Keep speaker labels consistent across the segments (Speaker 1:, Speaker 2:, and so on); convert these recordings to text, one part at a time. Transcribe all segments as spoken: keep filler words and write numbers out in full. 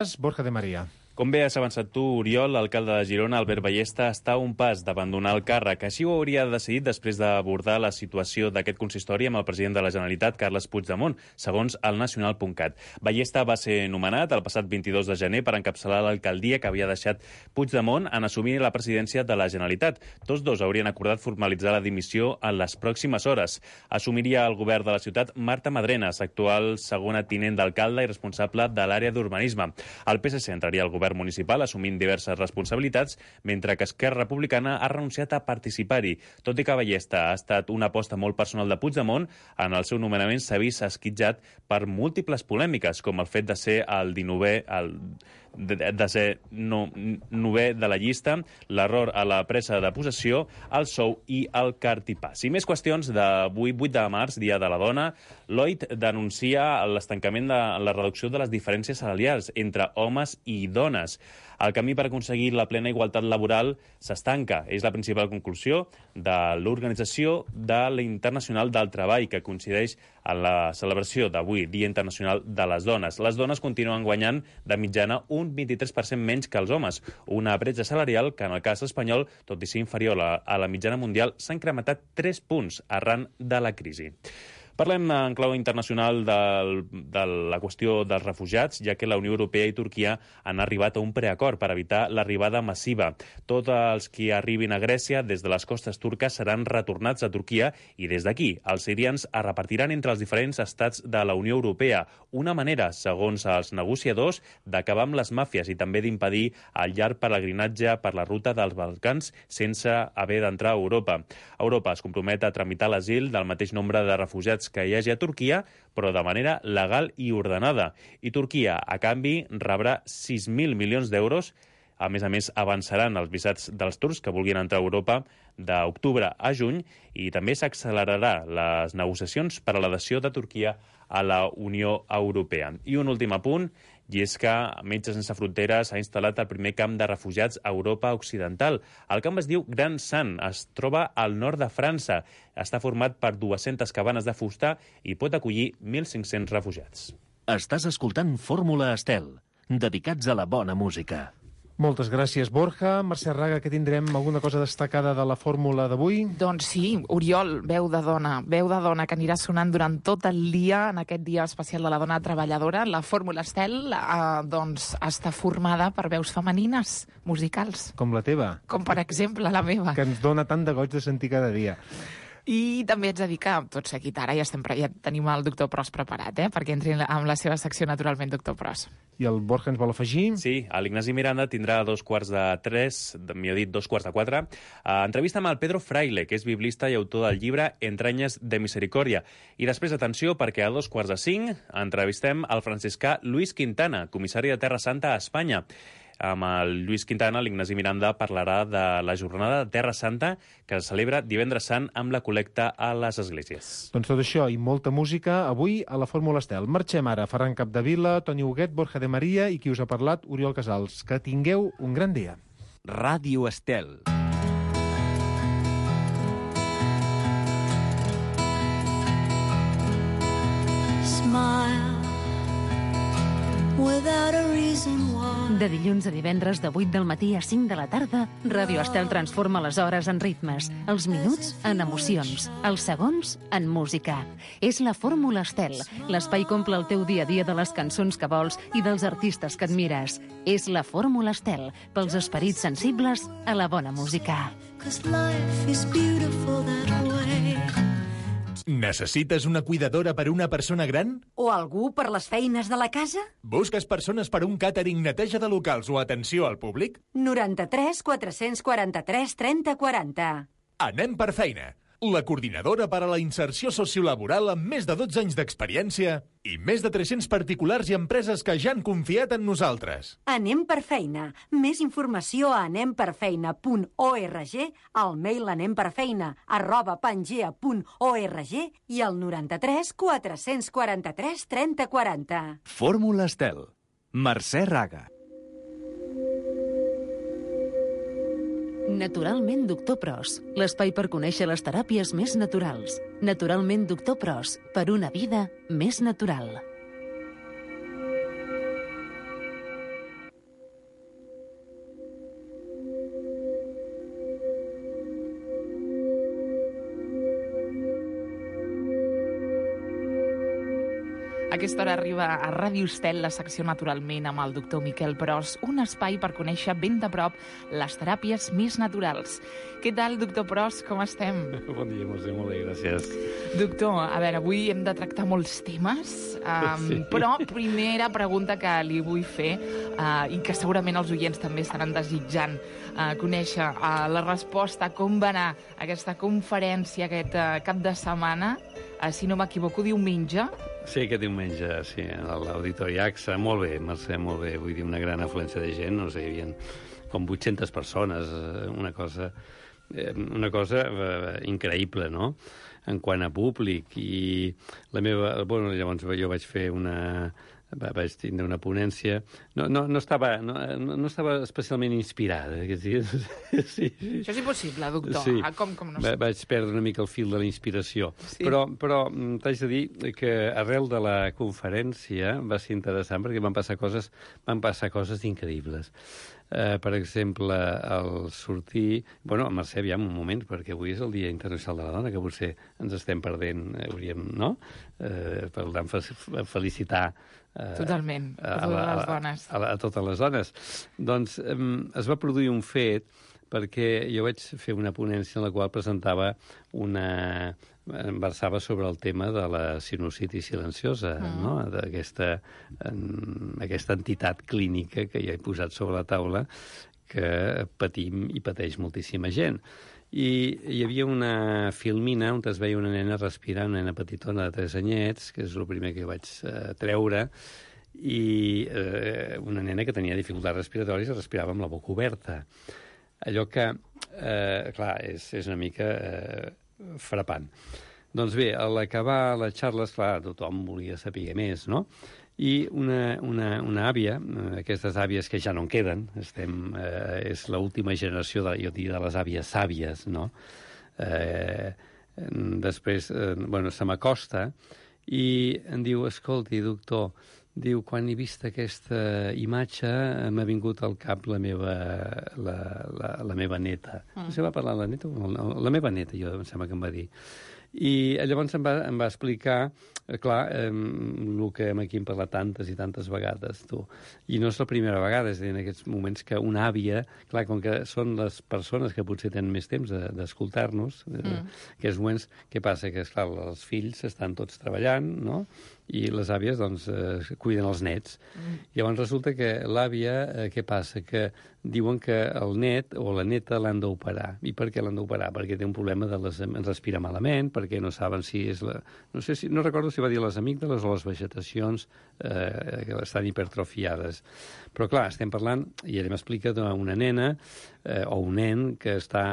Speaker 1: Borja de Maria.
Speaker 2: Com bé has avançat tu, Oriol, l'alcalde de Girona, Albert Ballesta, està a un pas d'abandonar el càrrec. Així ho hauria decidit després d'abordar la situació d'aquest consistori amb el president de la Generalitat, Carles Puigdemont, segons el nacional punt cat. Ballesta va ser nomenat el passat vint-i-dos de gener per encapçalar l'alcaldia que havia deixat Puigdemont en assumir la presidència de la Generalitat. Tots dos haurien acordat formalitzar la dimissió en les pròximes hores. Assumiria el govern de la ciutat Marta Madrenas, actual segona tinent d'alcalde i responsable de l'àrea d'urbanisme. El P S C entraria al govern municipal assumint diverses responsabilitats, mentre que Esquerra Republicana ha renunciat a participar-hi. Tot i que Ballesta ha estat una aposta molt personal de Puigdemont, en el seu nomenament s'ha vist esquitjat per múltiples polèmiques, com el fet de ser el dinovè, el de, de ser no, novè de la llista, l'error a la presa de possessió, el sou i el cartipàs. I més qüestions d'avui, vuit de març, Dia de la Dona. Lloyd denuncia l'estancament de la reducció de les diferències salarials entre homes i dones. El camí per aconseguir la plena igualtat laboral s'estanca. És la principal conclusió de l'Organització de l'Internacional del Treball, que coincideix en la celebració d'avui, Dia Internacional de les Dones. Les dones continuen guanyant de mitjana un vint-i-tres per cent menys que els homes. Una bretxa salarial que, en el cas espanyol, tot i ser inferior a, a la mitjana mundial, s'ha incrementat tres punts arran de la crisi. Parlem en clau internacional del, de la qüestió dels refugiats, ja que la Unió Europea i Turquia han arribat a un preacord per evitar l'arribada massiva. Tots els que arribin a Grècia des de les costes turques seran retornats a Turquia i des d'aquí els sirians es repartiran entre els diferents estats de la Unió Europea. Una manera, segons els negociadors, d'acabar amb les màfies i també d'impedir el llarg pelegrinatge per la ruta dels Balcans sense haver d'entrar a Europa. Europa es compromet a tramitar l'asil del mateix nombre de refugiats que hi hagi a Turquia, però de manera legal i ordenada. I Turquia, a canvi, rebrà sis mil milions d'euros. A més a més, avançaran els visats dels turcs que vulguin entrar a Europa d'octubre a juny i també s'accelerarà les negociacions per a l'adhesió de Turquia a la Unió Europea. I un últim apunt, i és que Metges Sense Fronteres ha instal·lat el primer camp de refugiats a Europa Occidental. El camp es diu Gran Sant, es troba al nord de França. Està format per dues-centes cabanes de fusta i pot acollir mil cinc-cents refugiats.
Speaker 3: Estàs escoltant Fórmula Estel, dedicats a la bona música.
Speaker 1: Moltes gràcies, Borja. Mercè Raga, que tindrem alguna cosa destacada de la fórmula d'avui?
Speaker 4: Doncs sí, Oriol, veu de dona, veu de dona que anirà sonant durant tot el dia, en aquest dia especial de la dona treballadora. La fórmula Estel eh, doncs, està formada per veus femenines, musicals.
Speaker 1: Com la teva?
Speaker 4: Com, per exemple, la meva.
Speaker 1: Que ens dona tant de goig de sentir cada dia.
Speaker 4: I també ets a dir que, tot seguit, ara ja, estem, ja tenim el doctor Pros preparat, eh, perquè entri amb la seva secció, naturalment, doctor Pros.
Speaker 1: I el Borja ens vol afegir?
Speaker 2: Sí, l'Ignasi Miranda tindrà a dos quarts de tres, millor dit, dos quarts de quatre, uh, entrevista amb el Pedro Fraile, que és biblista i autor del llibre Entranyes de Misericòrdia. I després, atenció, perquè a dos quarts de cinc entrevistem el franciscà Luis Quintana, comissari de Terra Santa a Espanya. Amb el Lluís Quintana, l'Ignasi Miranda parlarà de la jornada de Terra Santa que es celebra divendres sant amb la col·lecta a les esglésies.
Speaker 1: Doncs tot això i molta música avui a la Fórmula Estel. Marxem ara. Ferran Capdevila, Toni Huguet, Borja de Maria i qui us ha parlat, Oriol Casals. Que tingueu un gran dia.
Speaker 3: Ràdio Estel.
Speaker 5: Smile without a reason why.
Speaker 6: De dilluns a divendres de vuit del matí a cinc de la tarda, Ràdio Estel transforma les hores en ritmes, els minuts en emocions, els segons en música. És la Fórmula Estel. L'espai que omple el teu dia a dia de les cançons que vols i dels artistes que admires. És la Fórmula Estel, pels esperits sensibles a la bona música.
Speaker 5: 'Cause life is beautiful that way.
Speaker 7: Necessites una cuidadora per una persona gran?
Speaker 8: O algú per les feines de la casa?
Speaker 7: Busques persones per un càtering, neteja de locals o atenció al públic?
Speaker 8: noranta-tres quatre-cents quaranta-tres trenta quaranta.
Speaker 7: Anem per feina. La coordinadora per a la inserció sociolaboral amb més de dotze anys d'experiència i més de tres-cents particulars i empreses que ja han confiat en nosaltres.
Speaker 8: Anem per feina. Més informació a anem per feina punt org, al mail anemperfeina arroba pangea punt org i al noranta-tres quatre-cents quaranta-tres trenta quaranta.
Speaker 3: Fórmula Estel. Mercè Raga.
Speaker 6: Naturalment Doctor Pros, l'espai per conèixer les teràpies més naturals. Naturalment Doctor Pros, per una vida més natural.
Speaker 4: A aquesta hora arriba a Ràdio Estel la secció Naturalment amb el doctor Miquel Pros, un espai per conèixer ben de prop les teràpies més naturals. Què tal, doctor Pros? Com estem?
Speaker 9: Bon dia, Mercè, molt bé, gràcies.
Speaker 4: Doctor, a veure, avui hem de tractar molts temes, um, sí. però primera pregunta que li vull fer, uh, i que segurament els oients també estaran desitjant uh, conèixer uh, la resposta, com va anar aquesta conferència aquest uh, cap de setmana, uh, si no m'equivoco, diumenge.
Speaker 9: Sí, aquest diumenge, sí, a l'Auditori A X A. Molt bé, Mercè, molt bé. Vull dir, una gran afluència de gent, no sé, hi havia com vuit-centes persones, una cosa, una cosa increïble, no?, en quant a públic. I la meva... Bueno, llavors jo vaig fer una... vaig tindre una ponència. No, no, no, estava, no, no estava especialment inspirada aquests dies. Sí, sí.
Speaker 4: Això és impossible, doctor.
Speaker 9: Sí.
Speaker 4: Ah, com, com no
Speaker 9: Va, vaig perdre una mica el fil de la inspiració.
Speaker 4: Sí.
Speaker 9: Però, però t'haig de dir que arrel de la conferència va ser interessant perquè van passar coses, van passar coses increïbles. Uh, per exemple, al sortir... Bueno, Mercè, aviam un moment, perquè avui és el Dia Internacional de la Dona, que potser ens estem perdent, hauríem, no?, uh, per tant, felicitar uh,
Speaker 4: totalment, a, a totes les dones.
Speaker 9: A, a, a totes les dones. Doncs um, es va produir un fet perquè jo vaig fer una ponència en la qual presentava una... em versava sobre el tema de la sinusitis silenciosa, mm. no?, d'aquesta aquesta entitat clínica que ja he posat sobre la taula que patim i pateix moltíssima gent. I hi havia una filmina on es veia una nena respirant, una nena petitona de tres anyets, que és el primer que vaig eh, treure, i eh, una nena que tenia dificultats respiratòries i respirava amb la boca oberta. Allò que, eh, clar, és, és una mica eh, frapant. Doncs bé, a l'acabar les xarles, clar, tothom volia saber més, no? I una, una, una àvia, aquestes àvies que ja no en queden, estem, eh, és l'última generació, de, jo diria, de les àvies sàvies, no? Eh, després, eh, bueno, se m'acosta i em diu, escolti, doctor, diu, quan he vist aquesta imatge m'ha vingut al cap la meva, la, la, la meva neta. Mm. No sé, va parlar la neta? La meva neta, jo em sembla que em va dir. I llavors em va, em va explicar, eh, clar, eh, el que aquí hem parlat tantes i tantes vegades, tu. I no és la primera vegada, és a dir, en aquests moments que una àvia, clar, com que són les persones que potser tenen més temps d'escoltar-nos, de, mm. eh, aquests moments, què passa? Que, esclar, els fills estan tots treballant, no?, i les àvies, doncs, eh, cuiden els nets. Mm. Llavors resulta que l'àvia, eh, què passa? Que diuen que el net o la neta l'han d'operar. I per què l'han d'operar? Perquè té un problema de les... respira malament, perquè no saben si és la... No sé si... No recordo si va dir les amígdales o les vegetacions eh, que estan hipertrofiades. Però, clar, estem parlant, i ella m'explica d'una nena eh, o un nen que està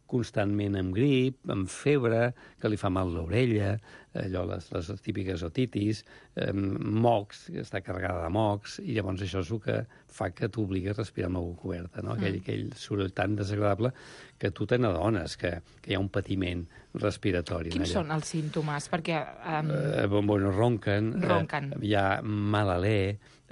Speaker 9: constantment amb grip, amb febre, que li fa mal l'orella, allò, les, les típiques otitis, eh, mocs, que està carregada de mocs, i llavors això és el que fa que t'obligui a respirar amb la boca oberta, no? Aquell, mm. aquell soroll tan desagradable que tu te n'adones que, que hi ha un patiment respiratori.
Speaker 4: Quins són els símptomes? Perquè... Um...
Speaker 9: Eh, bueno, ronquen,
Speaker 4: ronquen.
Speaker 9: Eh, hi ha mal alè,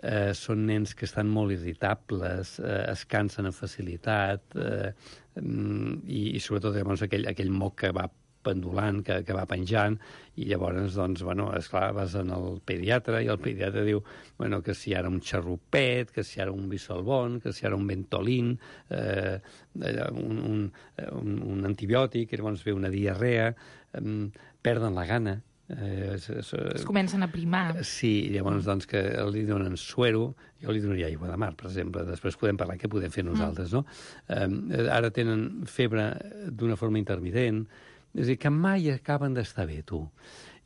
Speaker 9: eh, són nens que estan molt irritables, eh, es cansen amb facilitat, eh, i, i sobretot llavors aquell, aquell moc que va pendulant, que, que va penjant, i llavors, doncs, bueno, esclar, vas en el pediatre, i el pediatre diu, bueno, que si ara un xarrupet, que si ara un bisolbon, que si ara un ventolin, eh, un, un, un, un antibiòtic, i llavors ve una diarrea, eh, perden la gana. Eh, es, es,
Speaker 4: es comencen a primar.
Speaker 9: Sí, llavors, doncs, que li donen suero, jo li donaria aigua de mar, per exemple, després podem parlar què podem fer nosaltres, mm. no? Eh, ara tenen febre d'una forma intermitent, és a dir, que mai acaben d'estar bé, tu.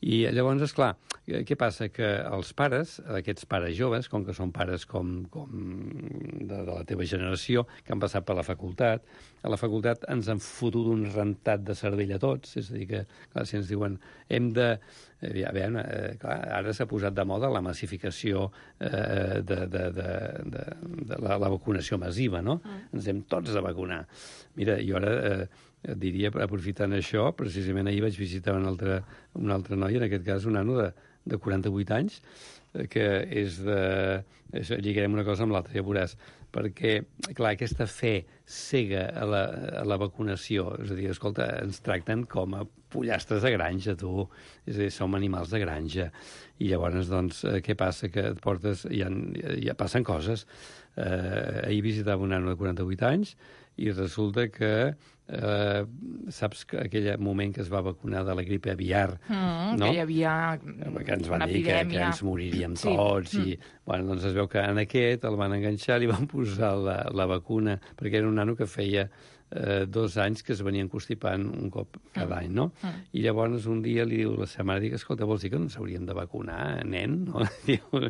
Speaker 9: I llavors, esclar, què passa? Que els pares, aquests pares joves, com que són pares com, com de, de la teva generació, que han passat per la facultat, a la facultat ens han fotut un rentat de cervell a tots, és a dir, que clar, si ens diuen hem de... A veure, eh, clar, ara s'ha posat de moda la massificació eh, de, de, de, de, de la, la vacunació massiva, no? Mm. Ens hem tots de vacunar. Mira, jo ara... Eh, et diria, aprofitant això, precisament ahir vaig visitar un altre, un altre noi, en aquest cas un nano de, de quaranta-vuit anys, que és de... És, lligarem una cosa amb l'altra, ja veuràs, perquè, clar, aquesta fe cega a la, a la vacunació, és a dir, escolta, ens tracten com a pollastres de granja, tu, és a dir, som animals de granja, i llavors, doncs, què passa? Que et portes... Ja, ja passen coses. Eh, ahir visitava un nano de quaranta-vuit anys i resulta que eh, saps que aquell moment que es va vacunar de la gripe aviar,
Speaker 4: mm,
Speaker 9: no?
Speaker 4: Que hi havia
Speaker 9: que ens van
Speaker 4: una
Speaker 9: dir que,
Speaker 4: epidèmia.
Speaker 9: que ens moriríem
Speaker 4: Sí.
Speaker 9: tots
Speaker 4: Mm.
Speaker 9: i, bueno, doncs es veu que en aquest el van enganxar, li van posar la, la vacuna, perquè era un nano que feia eh, dos anys que es venien constipant un cop cada
Speaker 4: Mm.
Speaker 9: any, no?
Speaker 4: Mm.
Speaker 9: I llavors un dia li diu la seva mare, dic, escolta, vols dir que no ens hauríem de vacunar, nen? No? Diu,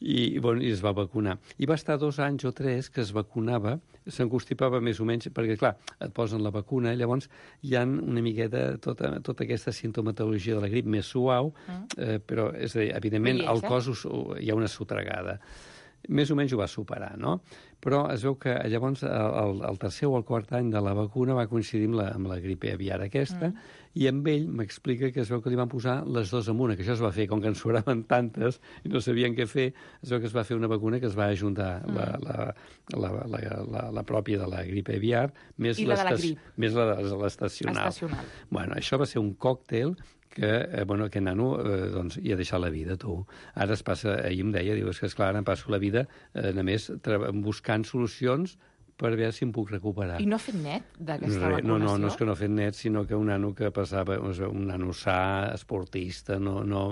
Speaker 9: i, bueno, i es va vacunar. I va estar dos anys o tres que es vacunava, s'encostipava més o menys, perquè, clar, et posen la vacuna, i llavors hi ha una miqueta tota, tota aquesta sintomatologia de la grip més suau,
Speaker 4: Mm.
Speaker 9: eh, però, és a dir, evidentment,
Speaker 4: Hi és,
Speaker 9: al
Speaker 4: eh?
Speaker 9: cos us, hi ha una sotregada. Més o menys ho va superar, no? Però es veu que llavors el, el tercer o el quart any de la vacuna va coincidir amb la, amb la gripe aviar aquesta, mm. i amb ell m'explica que es veu que li van posar les dues en una, que això es va fer, com que en sobraven tantes i no sabien què fer, es veu que es va fer una vacuna que es va ajuntar mm. la, la, la, la, la, la pròpia de la gripe aviar més
Speaker 4: I la de la grip.
Speaker 9: Més la de l'estacional.
Speaker 4: Estacional.
Speaker 9: Bueno, això va ser un còctel que, eh, bueno, aquest nano eh, doncs, hi ha deixat la vida, tu. Ara es passa, ahir em deia, diu, és que esclar, em passo la vida eh, només buscant solucions per veure si em puc recuperar.
Speaker 4: I no ha fet net d'aquesta
Speaker 9: Re,
Speaker 4: vacunació?
Speaker 9: no, no, no és que no ha fet net, sinó que un nano que passava, un nano sa, esportista, no, no,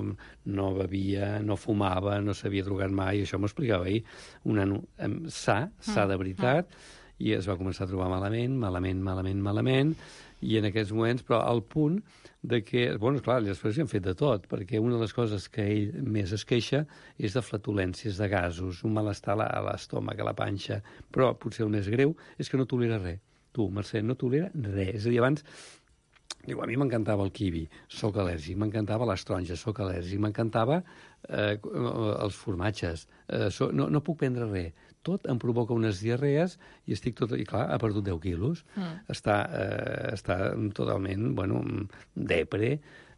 Speaker 9: no bevia, no fumava, no s'havia drogat mai, això m'ho explicava ahir. Un nano eh, sa, sa de veritat, mm. i es va començar a trobar malament, malament, malament, malament, i en aquests moments, però al punt de que, bueno, clar, després hi han fet de tot, perquè una de les coses que ell més es queixa és de flatulències, de gasos, un malestar a l'estómac, a la panxa, però potser el més greu és que no tolera res. Tu, Mercè, no tolera res. És a dir, abans, diu, a mi m'encantava el kiwi, sóc al·lèrgic, m'encantava les taronges, sóc al·lèrgic, m'encantava eh, els formatges, eh, so, no, no puc prendre res. Tot em provoca unes diarrees i estic tot... I clar, ha perdut deu quilos. Mm. Està, eh, està totalment, bueno, depre.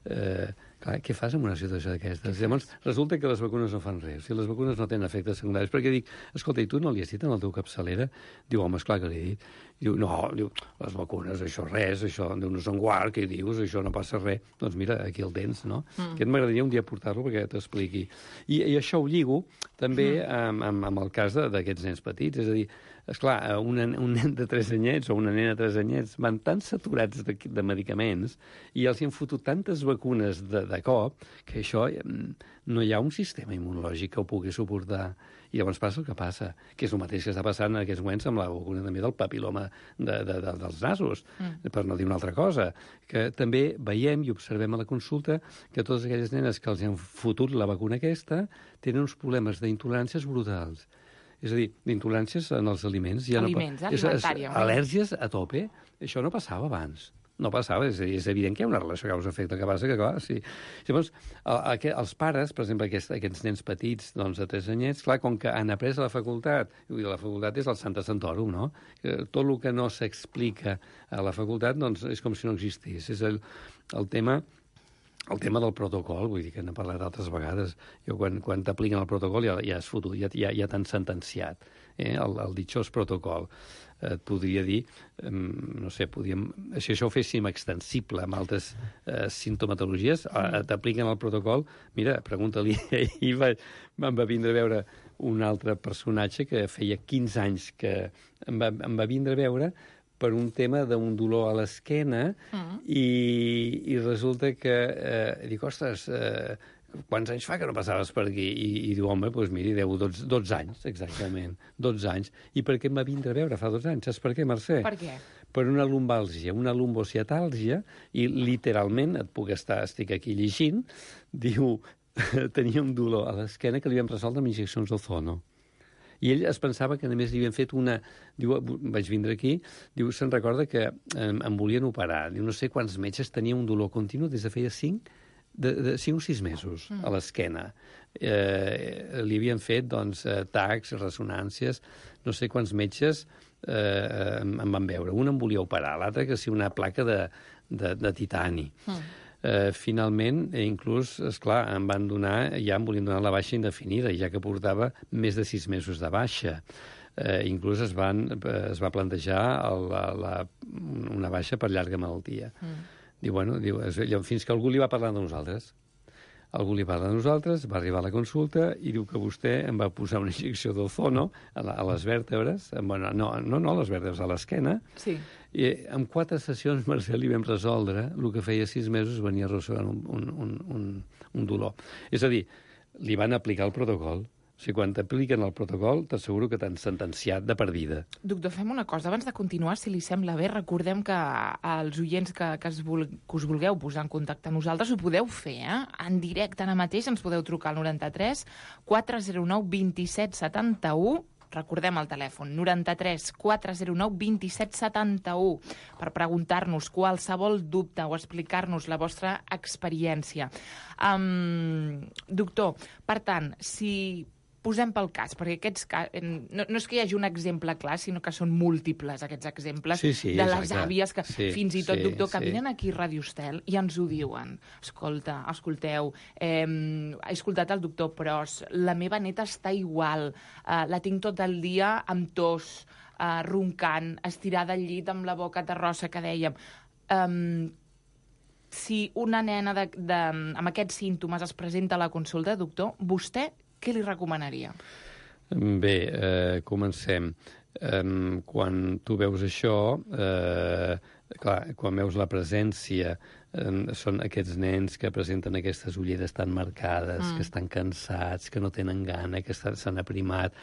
Speaker 9: Eh, clar, què fas en una situació d'aquestes? Llavors, resulta que les vacunes no fan res. O sigui, les vacunes no tenen efectes secundaris. Perquè dic, escolta, i tu no li has dit en el teu capçalera? Diu, home, esclar que li he dit. Diu, no, diu, les vacunes, això res, això, diu, no són guard, què dius, això no passa res. Doncs mira, aquí el tens, no? Mm. Aquest m'agradaria un dia portar-lo perquè t'expliqui. I, I això ho lligo també mm. amb, amb, amb el cas d'aquests nens petits, és a dir, esclar, un, un nen de tres anyets o una nena de tres anyets van tan saturats de, de medicaments i els hi han fotut tantes vacunes de, de cop que això no hi ha un sistema immunològic que ho pugui suportar. I llavors passa el que passa, que és el mateix que està passant en aquests moments amb la vacuna també del papiloma de, de, de, dels nasos, mm. per no dir una altra cosa, que també veiem i observem a la consulta que totes aquelles nenes que els han fotut la vacuna aquesta tenen uns problemes d'intoleràncies brutals. És a dir, d'intoleràncies en els aliments. Ja
Speaker 4: aliments,
Speaker 9: no,
Speaker 4: alimentària.
Speaker 9: És, és, al·lèrgies a tope. Això no passava abans. No passava, és, és evident que hi ha una relació causa-efecte, que passa que, clar, sí. Llavors, el, el, els pares, per exemple, aquests, aquests nens petits, doncs, de tres anyets, clar, com que han après a la facultat, i la facultat és el Santa Santorum, no? Tot el que no s'explica a la facultat, doncs, és com si no existís. És el, el tema... El tema del protocol, vull dir que n'he parlat altres vegades, jo quan, quan t'apliquen el protocol ja, ja és fotut, ja, ja, ja t'han sentenciat, eh? el, el ditxós protocol. Et podria dir, eh, no sé, podríem, si això ho féssim extensible amb altres eh, sintomatologies, mm. t'apliquen el protocol, mira, pregunta-li, ahir va, em va vindre a veure un altre personatge que feia quinze anys que em va, em va vindre a veure per un tema d'un dolor a l'esquena mm. i, i resulta que eh, dic, ostres, eh, quants anys fa que no passaves per aquí? I, i diu, home, doncs miri, deu dotze, dotze anys, exactament, dotze anys. I per què em va vindre a veure fa dotze anys? Saps per què, Mercè?
Speaker 4: Per què?
Speaker 9: Per una lumbàlgia, una lumbociatàlgia, i literalment, et puc estar, estic aquí llegint, diu, tenia un dolor a l'esquena que li vam resoldre amb injeccions d'ozono. I ell es pensava que només li havien fet una... Diu, vaig vindre aquí, diu, se'n recorda que em, em volien operar. Diu, no sé quants metges tenia un dolor continu des de feia cinc, de, de cinc o sis mesos mm. a l'esquena. Eh, li havien fet, doncs, tacs, ressonàncies, no sé quants metges eh, em van veure. Un em volia operar, l'altre que sí una placa de, de, de titani. Mm. Eh, finalment, eh, inclús, esclar, em van donar, ja em volien donar la baixa indefinida, ja que portava més de sis mesos de baixa. Eh, inclús es, van, es va plantejar el, la, la, una baixa per llarga malaltia. Mm. Diu, bueno, diu, fins que algú li va parlar de nosaltres. Algú li parla de nosaltres, va arribar a la consulta i diu que vostè em va posar una injecció d'ozono a, la, a les vèrtebres, bueno, no, no, no a les vèrtebres, a l'esquena,
Speaker 4: sí.
Speaker 9: I en quatre sessions, Mercè, li vam resoldre el que feia sis mesos venia arrossegant un, un, un, un, un dolor. És a dir, li van aplicar el protocol. O sigui, quan t'apliquen el protocol, t'asseguro que t'han sentenciat de per vida.
Speaker 4: Doctor, fem una cosa. Abans de continuar, si li sembla bé, recordem que els oients que, que, es vul, que us vulgueu posar en contacte amb nosaltres ho podeu fer, eh? En directe ara mateix ens podeu trucar al noranta-tres quatre zero nou vint set setanta-u. Recordem el telèfon, noranta-tres quatre zero nou vint set setanta-u, per preguntar-nos qualsevol dubte o explicar-nos la vostra experiència. Um, doctor, per tant, si posem pel cas, perquè aquests no, no és que hi hagi un exemple clar, sinó que són múltiples aquests exemples
Speaker 9: sí, sí,
Speaker 4: de
Speaker 9: exacte.
Speaker 4: Les àvies que
Speaker 9: sí,
Speaker 4: fins i tot,
Speaker 9: sí,
Speaker 4: doctor, que
Speaker 9: sí.
Speaker 4: vinen aquí a Radio Estel i ens ho diuen. Escolta, escolteu, eh, he escoltat el doctor Pros, la meva neta està igual, eh, la tinc tot el dia amb tos, eh, roncant, estirada al llit amb la boca terrossa, que dèiem. Um, si una nena de, de, amb aquests símptomes es presenta a la consulta, doctor, vostè què li recomanaria?
Speaker 9: Bé, eh, comencem. Eh, quan tu veus això, eh, clar, quan veus la presència, eh, són aquests nens que presenten aquestes ulleres tan marcades, mm. que estan cansats, que no tenen gana, que s'han aprimat,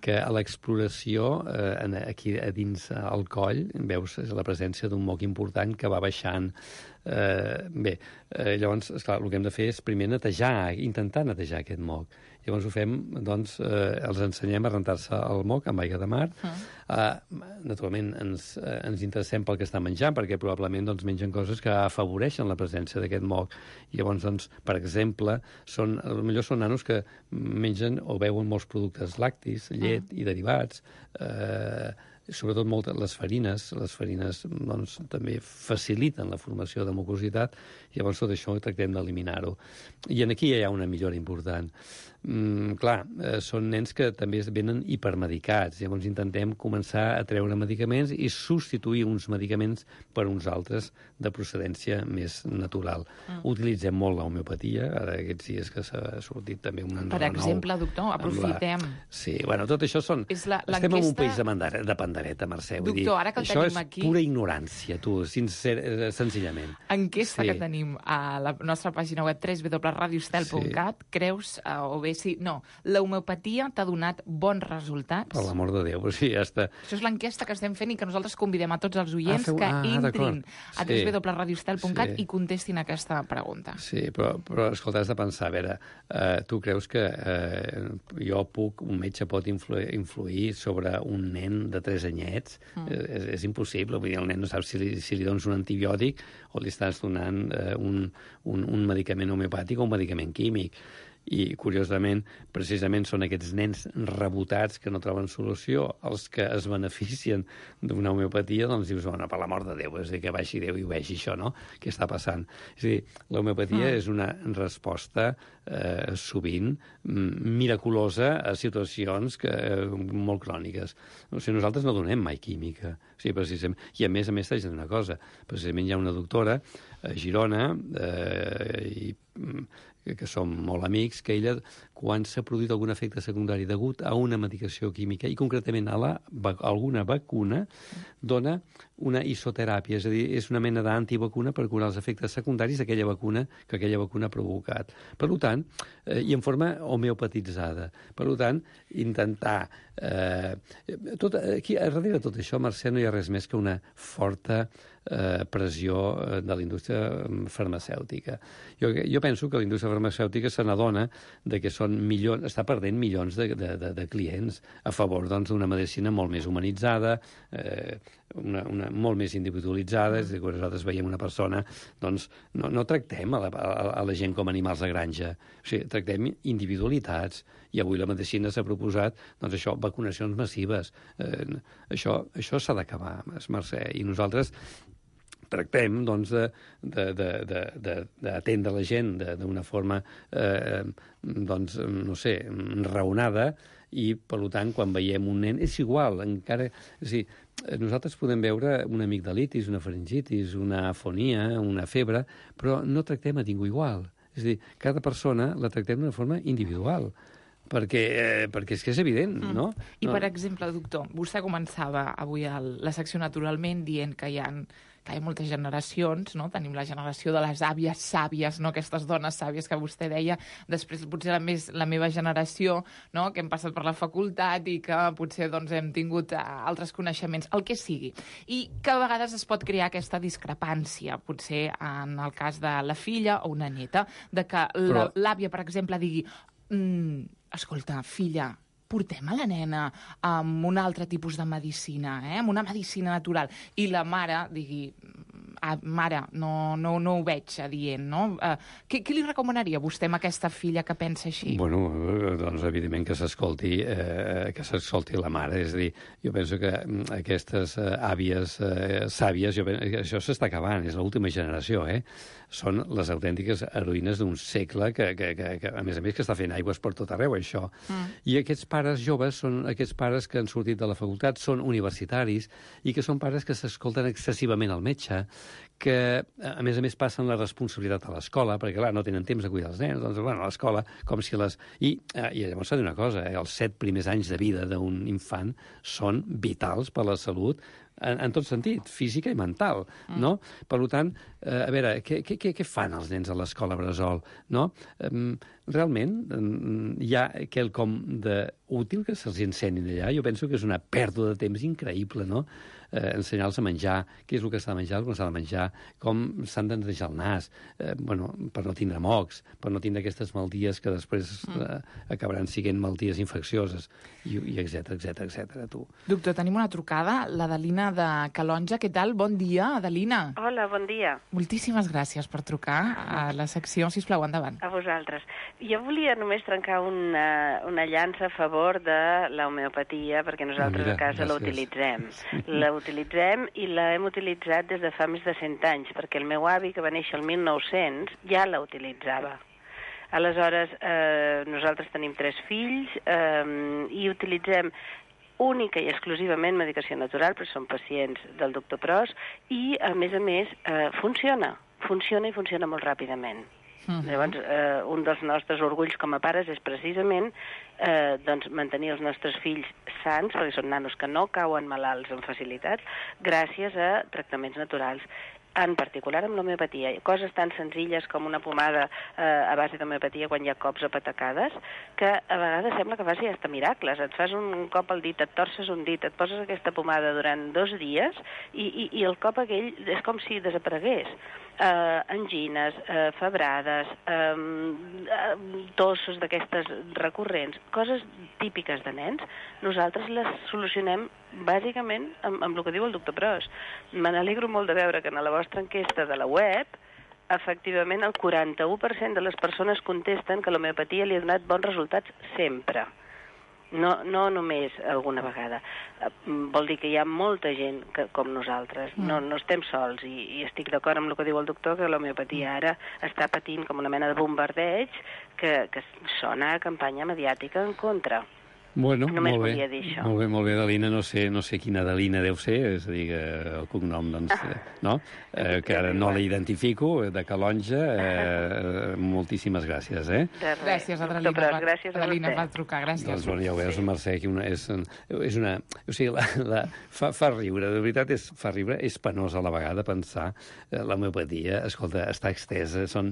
Speaker 9: que a l'exploració, eh, aquí a dins al coll, veus la presència d'un moc important que va baixant. Eh, bé, eh, llavors, esclar, el que hem de fer és primer netejar, intentar netejar aquest moc. Llavors ho fem, doncs, eh, els ensenyem a rentar-se el moc amb aigua de mar. Uh. Eh, naturalment, ens, eh, ens interessem pel que estan menjant, perquè probablement doncs, mengen coses que afavoreixen la presència d'aquest moc. I llavors, doncs, per exemple, són, potser són nanos que mengen o beuen molts productes lactis, llet uh. i derivats, eh, sobretot moltes les farines. Les farines doncs, també faciliten la formació de mucositat, i llavors tot això tractem d'eliminar-ho. I aquí hi ha una millora important. Mm, clar, eh, són nens que també venen hipermedicats, llavors intentem començar a treure medicaments i substituir uns medicaments per uns altres de procedència més natural. Mm. Utilitzem molt l'homeopatia, ara aquests dies que s'ha sortit també un renou.
Speaker 4: Per exemple, doctor, aprofitem.
Speaker 9: La... Sí, bueno, tot això són...
Speaker 4: La,
Speaker 9: Estem en un país de, mandare... de pandereta, Mercè.
Speaker 4: Doctor,
Speaker 9: vull dir,
Speaker 4: ara que el
Speaker 9: això
Speaker 4: tenim
Speaker 9: és
Speaker 4: aquí...
Speaker 9: pura ignorància, tu, sincer... senzillament.
Speaker 4: Enquesta
Speaker 9: sí.
Speaker 4: que tenim a la nostra pàgina web w w w punt radio estel punt cat, sí. Creus, uh, o bé sí, no, l'homeopatia t'ha donat bons resultats?
Speaker 9: Per l'amor de Déu, sí, ja està.
Speaker 4: Això és l'enquesta que estem fent i que nosaltres convidem a tots els oients ah, feu... que
Speaker 9: ah,
Speaker 4: entrin a
Speaker 9: sí.
Speaker 4: w w w punt radio estel punt cat
Speaker 9: sí.
Speaker 4: i contestin aquesta pregunta.
Speaker 9: Sí, però, però escolta, has de pensar, a veure, eh, tu creus que eh, jo puc, un metge pot influir, influir sobre un nen de tres anyets? Mm. Eh, és, és impossible, vull dir, el nen no sap si li, si li dones un antibiòtic o li estàs donant eh, un, un, un medicament homeopàtic o un medicament químic. I, curiosament, precisament són aquests nens rebotats que no troben solució, els que es beneficien d'una homeopatia, doncs dius, bueno, per l'amor de Déu, és a dir, que baixi Déu i ho vegi això, no?, què està passant. És a dir, l'homeopatia mm. és una resposta eh, sovint miraculosa a situacions que, eh, molt cròniques. O sigui, nosaltres no donem mai química, o sigui, precisament. I a més a més t'haig de dir una cosa, precisament hi ha una doctora a Girona, eh, i que som molt amics, que ella, quan s'ha produït algun efecte secundari degut a una medicació química, i concretament a, la, a alguna vacuna, dona una isoteràpia, és a dir, és una mena d'antivacuna per curar els efectes secundaris d'aquella vacuna que aquella vacuna ha provocat. Per tant, eh, i en forma homeopatitzada. Per tant, intentar... Eh, tot, aquí, darrere de tot això, Mercè, no hi ha res més que una forta eh, pressió de la indústria farmacèutica. Jo, jo penso que la indústria farmacèutica se n'adona de que són milions, està perdent milions de, de, de, de clients a favor doncs, d'una medicina molt més humanitzada, eh, una, una, molt més individualitzada, és a dir, quan nosaltres veiem una persona, doncs no, no tractem a la, a, a la gent com animals de granja, o sigui, tractem individualitats, i avui la medicina s'ha proposat, doncs això, vacunacions massives. Eh, això això s'ha d'acabar, Mercè, i nosaltres tractem doncs, d'atendre la gent d'una forma, eh, doncs, no sé, raonada, i, per tant, quan veiem un nen, és igual, encara... És a dir, nosaltres podem veure una amigdalitis, una faringitis, una afonia, una febre, però no tractem a ningú igual. És a dir, cada persona la tractem d'una forma individual, perquè, eh, perquè és que és evident, mm. no?
Speaker 4: I,
Speaker 9: no.
Speaker 4: per exemple, doctor, vostè començava avui el, la secció naturalment dient que hi ha, que hi ha moltes generacions, no? Tenim la generació de les àvies sàvies, no? Aquestes dones sàvies que vostè deia, després potser la, més, la meva generació, no? Que hem passat per la facultat i que potser doncs, hem tingut altres coneixements, el que sigui. I que a vegades es pot crear aquesta discrepància, potser en el cas de la filla o una neta, de que
Speaker 9: Però...
Speaker 4: l'àvia, per exemple, digui mm, escolta, filla, portem a la nena amb un altre tipus de medicina, eh? Amb una medicina natural. I la mare digui, ah, mare, no, no, no ho veig adient, no? Uh, què, què li recomanaria vostè amb aquesta filla que pensa així?
Speaker 9: Bueno, doncs evidentment que s'escolti eh, que s'escolti la mare. És a dir, jo penso que aquestes eh, àvies eh, sàvies, jo penso, això s'està acabant, és l'última generació, eh? Són les autèntiques heroïnes d'un segle que, que, que, que, a més a més, que està fent aigües per tot arreu, això. Mm. I aquests pares joves són aquests pares que han sortit de la facultat, són universitaris, i que són pares que s'escolten excessivament al metge, que, a més a més, passen la responsabilitat a l'escola, perquè, clar, no tenen temps de cuidar els nens, doncs, bueno, a l'escola, com si les... I, eh, i llavors s'ha de dir una cosa, eh, els set primers anys de vida d'un infant són vitals per a la salut, en, en tot sentit, física i mental, mm. no? Per tant, eh, a veure, què, què, què fan els nens a l'escola bressol, no? Um, realment, um, hi ha quelcom d'útil que se'ls ensenyin allà. Jo penso que és una pèrdua de temps increïble, no? Eh, ensenyar-los a menjar, què és el que s'ha de menjar, el que no s'ha de menjar, com s'han de netejar el nas, eh, bueno, per no tindre mocs, per no tindre aquestes malalties que després eh, acabaran sent malalties infeccioses, i, i etcètera, etcètera, etcètera, tu.
Speaker 4: Doctor, tenim una trucada, l'Adelina de Calonja. Què tal? Bon dia, Adelina.
Speaker 10: Hola, bon dia.
Speaker 4: Moltíssimes gràcies per trucar a la secció. Sisplau, endavant.
Speaker 10: A vosaltres. Jo volia només trencar una, una llança a favor de l'homeopatia, perquè nosaltres
Speaker 9: Mira,
Speaker 10: a casa la utilitzem. La utilitzem i l'hem utilitzat des de fa més de cent anys, perquè el meu avi, que va néixer el mil nou-cents, ja la utilitzava. Aleshores, eh, nosaltres tenim tres fills eh, i utilitzem única i exclusivament medicació natural, però són pacients del doctor Pros, i, a més a més, eh, funciona. Funciona i funciona molt ràpidament. Uh-huh. Llavors, eh, un dels nostres orgulls com a pares és precisament eh, doncs, mantenir els nostres fills sants, perquè són nanos que no cauen malalts amb facilitat, gràcies a tractaments naturals. En particular amb l'homeopatia. Coses tan senzilles com una pomada eh, a base d'homeopatia quan hi ha cops o patacades, que a vegades sembla que faci hasta miracles. Et fas un cop al dit, et torces un dit, et poses aquesta pomada durant dos dies i, i, i el cop aquell és com si desaparegués. Eh, angines, eh, febrades, eh, tossos d'aquestes recurrents, coses típiques de nens, nosaltres les solucionem bàsicament amb, amb el que diu el doctor Pros. Me n'alegro molt de veure que en la vostra enquesta de la web, efectivament, el quaranta-u per cent de les persones contesten que l'homeopatia li ha donat bons resultats sempre. No, no només alguna vegada. Vol dir que hi ha molta gent que, com nosaltres. No, no estem sols i, i estic d'acord amb el que diu el doctor, que l'homeopatia ara està patint com una mena de bombardeig que, que sona a campanya mediàtica en contra.
Speaker 9: Bueno,
Speaker 10: Només
Speaker 9: molt bé,
Speaker 10: volia dir això.
Speaker 9: molt bé, molt bé, Adelina, no sé, no sé quina Adelina deu ser, és a dir, que el cognom, doncs, eh, no? Eh, que ara no la identifico, de Calonja, eh, moltíssimes gràcies, eh?
Speaker 4: Gràcies, Adelina.
Speaker 10: Però, gràcies a
Speaker 4: Adelina
Speaker 10: vostè.
Speaker 4: va trucar, gràcies.
Speaker 9: Doncs, bueno, ja ho veus, Mercè, que una, és, és una... O sigui, la, la, fa, fa riure, de veritat, és, fa riure, és penós a la vegada pensar eh, l'homeopatia, escolta, està extesa, són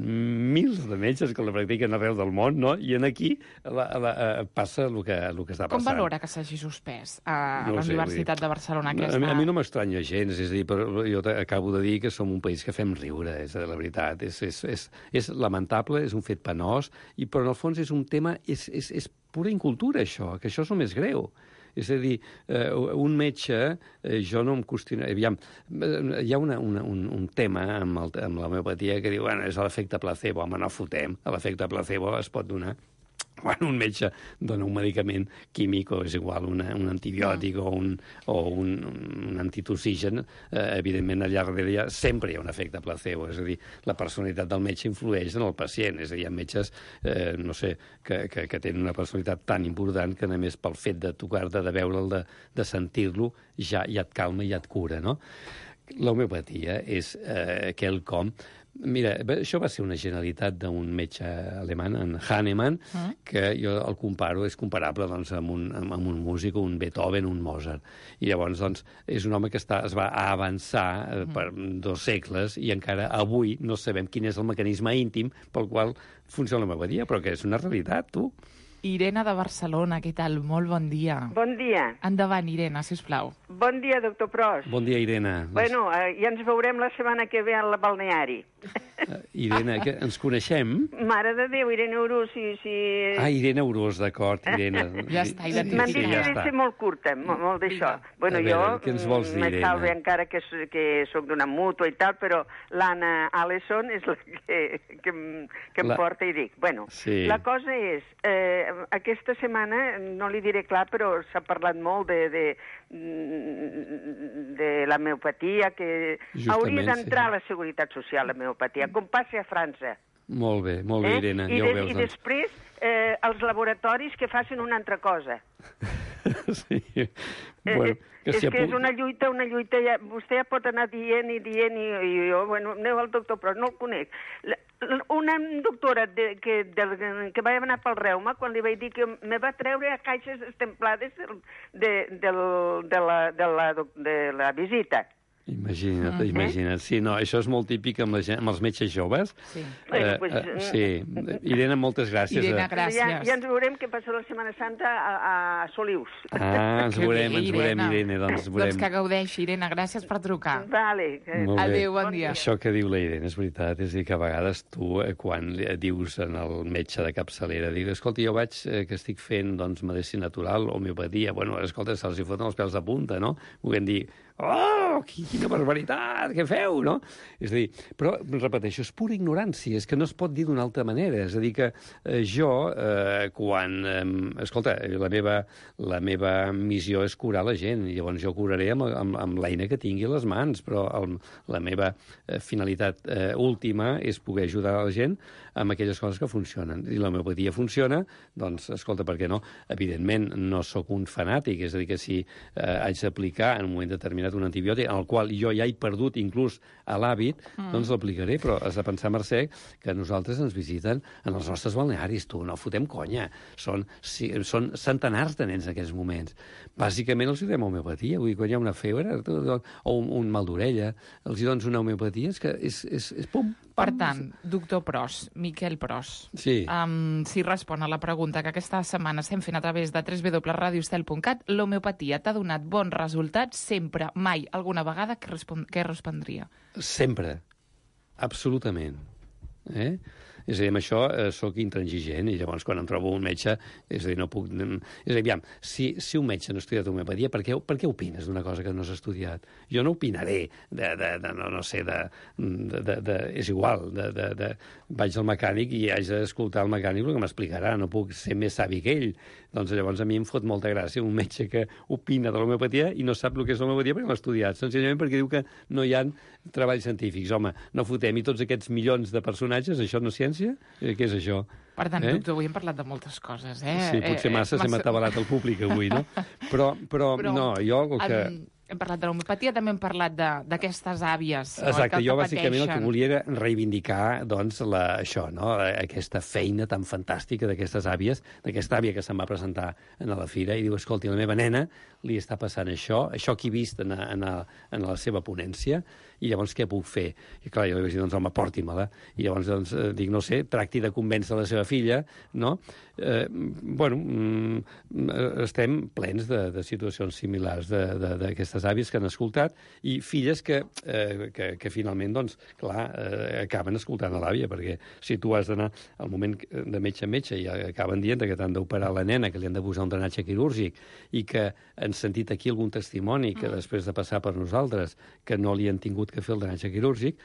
Speaker 9: mils de metges que la practiquen arreu del món, no? I en aquí la, la, eh, passa el que, el que està
Speaker 4: Com
Speaker 9: passant.
Speaker 4: valora que s'hagi suspès a
Speaker 9: No
Speaker 4: la
Speaker 9: sé,
Speaker 4: Universitat
Speaker 9: vull dir,
Speaker 4: de Barcelona aquesta...
Speaker 9: A mi, a mi no m'estranya gens, és a dir, però jo acabo de dir que som un país que fem riure, és la veritat. És, és, és, és lamentable, és un fet penós, i, però en el fons és un tema, és, és, és pura incultura, això, que això és el més greu. És a dir, eh, un metge, eh, jo no em qüestiono... Aviam, hi ha una, una, un, un tema amb, el, amb l'homeopatia que diu, bueno, és l'efecte placebo, home, no fotem, l'efecte placebo es pot donar quan un metge dona un medicament químic o és igual, una, un antibiòtic o un, o un, un antitoxigen, eh, evidentment allà darrere ja sempre hi ha un efecte placebo, és a dir, la personalitat del metge influeix en el pacient, és a dir, hi ha metges, eh, no sé, que, que, que tenen una personalitat tan important que només pel fet de tocar-te, de veure'l, de, de sentir-lo, ja, ja et calma i ja et cura, no? L'homeopatia és eh, quelcom... Mira, això va ser una generalitat d'un metge alemany, en Hahnemann, mm. que jo el comparo, és comparable doncs, amb, un, amb un músic, un Beethoven, un Mozart. I llavors doncs, és un home que està, es va avançar eh, per dos segles i encara avui no sabem quin és el mecanisme íntim pel qual funciona l'homeopatia, però que és una realitat, tu.
Speaker 4: Irene de Barcelona, què tal? Molt bon dia.
Speaker 11: Bon dia.
Speaker 4: Endavant, Irene, sisplau.
Speaker 11: Bon dia, doctor Pros.
Speaker 9: Bon dia, Irene.
Speaker 11: Bueno, eh, ja ens veurem la setmana que ve al balneari.
Speaker 9: Uh, Irene, que ens coneixem?
Speaker 11: Mare de Déu, Irene Urós, si... si...
Speaker 9: Ah, Irene Urós, d'acord, Irene.
Speaker 4: Ja està, identificat.
Speaker 11: M'han dit que he de ser molt curta, molt, molt d'això. Bueno,
Speaker 9: a veure,
Speaker 11: jo
Speaker 9: què ens vols dir,
Speaker 11: me
Speaker 9: Irene?
Speaker 11: salve encara que, que soc d'una mútua i tal, però l'Anna Allison és la que, que, em- que em
Speaker 9: La-
Speaker 11: porta i dic. Bueno,
Speaker 9: Sí.
Speaker 11: la cosa és, eh, aquesta setmana, no li diré clar, però s'ha parlat molt de, de, de la homeopatia, que
Speaker 9: Justament,
Speaker 11: hauria d'entrar
Speaker 9: sí.
Speaker 11: a la Seguretat Social, la homeopatia, com passa a França.
Speaker 9: Molt bé, molt bé, Irene,
Speaker 11: I,
Speaker 9: ja ho
Speaker 11: de,
Speaker 9: veus.
Speaker 11: I
Speaker 9: doncs.
Speaker 11: després eh, els laboratoris que facin una altra cosa.
Speaker 9: Sí.
Speaker 11: Eh,
Speaker 9: Bueno, que
Speaker 11: és
Speaker 9: s'hi
Speaker 11: que és
Speaker 9: apunti.
Speaker 11: una lluita, una lluita... Ja, vostè ja pot anar dient i dient i, i jo, bueno, aneu al doctor, però no el conec. La, la- una doctora de, que, del, que va anar pel reuma, quan li vaig dir que me va treure a caixes estemplades del, de, del, de, la, de, la, de la visita.
Speaker 9: Imagina't,
Speaker 11: Mm.
Speaker 9: imagina't. Sí, no, això és molt típic amb, la gent, amb els metges joves.
Speaker 4: Sí.
Speaker 11: Bueno, pues,
Speaker 9: eh, sí. Irene, moltes gràcies.
Speaker 4: Irene,
Speaker 9: eh.
Speaker 4: gràcies.
Speaker 11: Ja, ja ens veurem què passa la Setmana Santa a, a Solius.
Speaker 9: Ah, ens
Speaker 4: Que
Speaker 9: veurem,
Speaker 4: bé,
Speaker 9: ens veurem, Irene, doncs ens
Speaker 4: Doncs
Speaker 9: veurem.
Speaker 4: que gaudeixi, Irene. Gràcies per trucar.
Speaker 11: Vale. que-
Speaker 9: Molt bé.
Speaker 4: Adéu, bon dia.
Speaker 9: Això que diu la Irene és veritat, és a dir, que a vegades tu, eh, quan li- dius en el metge de capçalera, dius, escolta, jo vaig, eh, que estic fent, doncs, medicina natural, homeopatia, bueno, escolta, se'ls hi foten els pèls de punta, no? Volguem dir, oh, qui- quina barbaritat, què feu, no? És a dir, però, repeteixo, és pura ignorància, és que no es pot dir d'una altra manera, és a dir, que eh, jo, eh, quan, eh, escolta, la meva, la meva missió és curar la gent, i llavors jo curaré amb, amb, amb l'eina que tingui a les mans, però el, la meva eh, finalitat eh, última és poder ajudar la gent amb aquelles coses que funcionen. I l'homeopatia funciona, doncs, escolta, per què no? Evidentment, no sóc un fanàtic, és a dir, que si eh, haig d'aplicar en un moment determinat un antibiòtic, en el qual jo ja he perdut inclús a l'hàbit, mm. doncs l'aplicaré, però has de pensar, Mercè, que nosaltres ens visiten en els nostres balnearis, tu, no fotem conya. Són, si, són centenars de nens en aquests moments. Bàsicament els hi donem homeopatia, vull dir, quan hi ha una febre tu, tu, o un, un mal d'orella, els hi dones una homeopatia, és que és, és, és pum,
Speaker 4: Per
Speaker 9: pam.
Speaker 4: tant, doctor Pros, Miquel Pros,
Speaker 9: Sí.
Speaker 4: um, si respon a la pregunta que aquesta setmana estem fent a través de w w w punt radio estel punt cat, l'homeopatia t'ha donat bons resultats sempre, mai, alguna vegada, què, respon què respondria?
Speaker 9: Sempre. Absolutament. Eh? És a dir, amb això eh, sóc intransigent i llavors quan em trobo un metge, és a dir, no puc... És a dir, aviam, si, si un metge no ha estudiat homeopatia, per què, per què opines d'una cosa que no s'ha estudiat? Jo no opinaré de, de, de no, no sé, de, de, de, de... És igual, de, de, de... vaig al mecànic i haig d'escoltar el mecànic el que m'explicarà, no puc ser més savi que ell. Doncs llavors a mi em fot molta gràcia un metge que opina de l'homeopatia i no sap el que és l'homeopatia perquè l'ha estudiat, senzillament perquè diu que no hi ha treballs científics. Home, no fotem, i tots aquests milions de personatges, això no és ciència? Eh, què és això?
Speaker 4: Per tant,
Speaker 9: Eh?
Speaker 4: doctor, avui hem parlat de moltes coses, eh?
Speaker 9: Sí, potser
Speaker 4: Eh,
Speaker 9: massa,
Speaker 4: eh,
Speaker 9: s'hem atabalat el públic avui, no? Però, però,
Speaker 4: Però,
Speaker 9: no, jo el que...
Speaker 4: Hem, hem parlat de l'homeopatia, també hem parlat de- d'aquestes àvies. no,
Speaker 9: Exacte,
Speaker 4: que
Speaker 9: jo
Speaker 4: el
Speaker 9: bàsicament el que
Speaker 4: pateixen.
Speaker 9: volia era reivindicar doncs, la, això, no? Aquesta feina tan fantàstica d'aquestes àvies, d'aquesta àvia que se'm va presentar a la fira i diu, escolti, la meva nena li està passant això, això que he vist en, a, en, a, en la seva ponència, i llavors què puc fer? I clar, jo li vaig dir, doncs home, porti-me-la. I llavors doncs, eh, dic, no sé, tracti de convèncer la seva filla, no? Eh, bueno, mm, estem plens de, de situacions similars d'aquestes àvies que han escoltat i filles que, eh, que, que finalment, doncs, clar, eh, acaben escoltant a l'àvia, perquè si tu has d'anar al moment de metge a metge i acaben dient que t'han d'operar la nena, que li han de posar un drenatge quirúrgic i que han sentit aquí algun testimoni que després de passar per nosaltres que no li han tingut que fer el drenatge quirúrgic,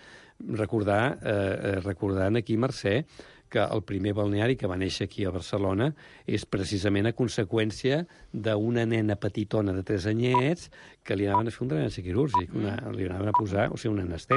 Speaker 9: recordar, eh, recordant aquí, Mercè, que el primer balneari que va néixer aquí a Barcelona és precisament a conseqüència d'una nena petitona de tres anyets que li anaven a fer un drenatge quirúrgic, una, li anaven a posar, o sigui, una anestèsia.